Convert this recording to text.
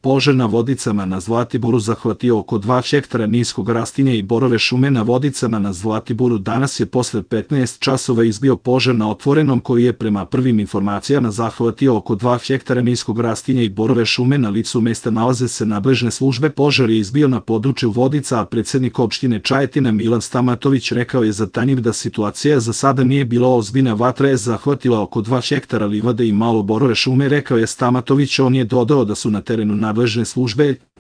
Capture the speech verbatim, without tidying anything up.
Požar na Vodicama na Zlatiboru zahvatio oko dva hektara niskog rastinja i borove šume na Vodicama na Zlatiboru. Danas je posle petnaest časova izbio požar na otvorenom koji je prema prvim informacijama zahvatio oko dva hektara niskog rastinja i borove šume. Na licu mesta nalaze se nadležne službe. Požar je izbio na području Vodica, a predsednik opštine Čajetina Milan Stamatović rekao je za Tanjug da situacija za sada nije bila ozbiljna. Vatra je zahvatila oko dva hektara livade i malo borove šume, rekao je Stamatović. On je dodao da su na terenu nadležne službe